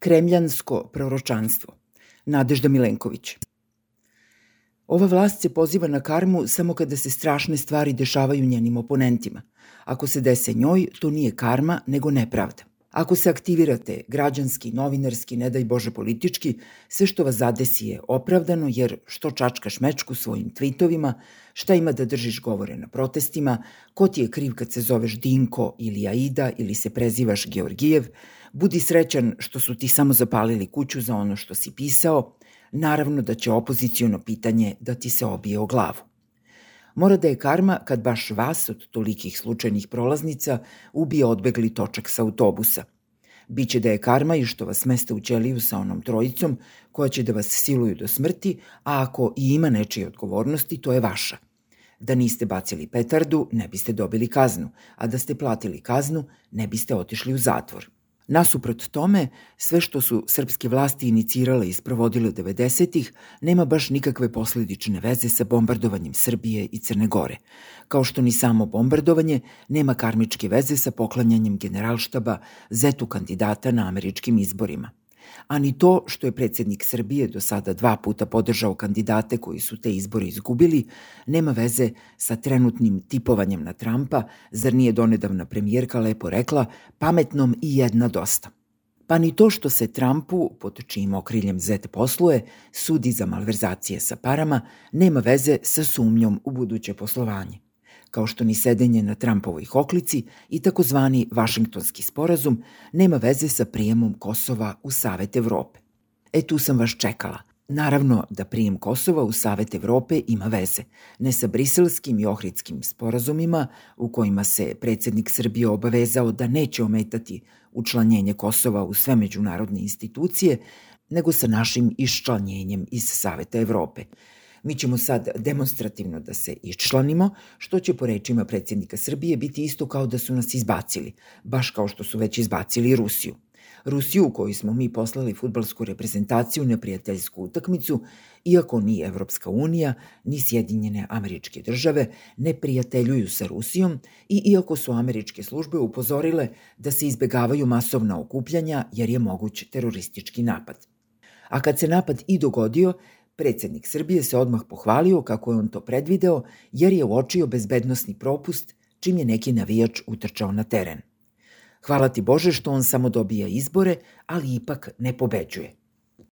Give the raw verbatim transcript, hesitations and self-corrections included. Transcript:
Kremljansko proročanstvo. Nadežda Milenković. Ova vlast se poziva na karmu samo kada se strašne stvari dešavaju njenim oponentima. Ako se dese njoj, to nije karma, nego nepravda. Ako se aktivirate građanski, novinarski, ne daj Bože politički, sve što vas zadesi je opravdano, jer što čačkaš mečku svojim tvitovima, šta ima da držiš govore na protestima, ko ti je kriv kad se zoveš Dinko ili Aida ili se prezivaš Georgijev, budi srećan što su ti samo zapalili kuću za ono što si pisao, naravno da će opoziciono pitanje da ti se obije o glavu. Mora da je karma kad baš vas od tolikih slučajnih prolaznica ubije odbegli točak sa autobusa. Biće da je karma i što vas smeste u ćeliju sa onom trojicom koja će da vas siluju do smrti, a ako i ima nečije odgovornosti, to je vaša. Da niste bacili petardu, ne biste dobili kaznu, a da ste platili kaznu, ne biste otišli u zatvor. Nasuprot tome, sve što su srpske vlasti inicirale i sprovodile devedesetih nema baš nikakve posledične veze sa bombardovanjem Srbije i Crne Gore, kao što ni samo bombardovanje nema karmičke veze sa poklanjanjem generalštaba zetu kandidata na američkim izborima. A ni to što je predsjednik Srbije do sada dva puta podržao kandidate koji su te izbore izgubili, nema veze sa trenutnim tipovanjem na Trumpa, zar nije donedavna premijerka lepo rekla, pametnom i jedna dosta. Pa ni to što se Trumpu, pod čijim okriljem zet posluje, sudi za malverzacije sa parama, nema veze sa sumnjom u buduće poslovanje. Kao što ni sedenje na Trumpovoj hoklici i takozvani Vašingtonski sporazum nema veze sa prijemom Kosova u Savet Evrope. E tu sam vas čekala. Naravno da prijem Kosova u Savet Evrope ima veze, ne sa briselskim i ohritskim sporazumima u kojima se predsjednik Srbije obavezao da neće ometati učlanjenje Kosova u sve međunarodne institucije, nego sa našim iščlanjenjem iz Saveta Evrope. Mi ćemo sad demonstrativno da se iščlanimo, što će po rečima predsjednika Srbije biti isto kao da su nas izbacili, baš kao što su već izbacili i Rusiju. Rusiju u kojoj smo mi poslali fudbalsku reprezentaciju na prijateljsku utakmicu, iako ni Evropska unija, ni Sjedinjene Američke Države ne prijateljuju sa Rusijom i iako su američke službe upozorile da se izbegavaju masovna okupljanja jer je moguć teroristički napad. A kad se napad i dogodio, predsjednik Srbije se odmah pohvalio kako je on to predvideo jer je uočio bezbednosni propust čim je neki navijač utrčao na teren. Hvala ti Bože što on samo dobija izbore, ali ipak ne pobeđuje.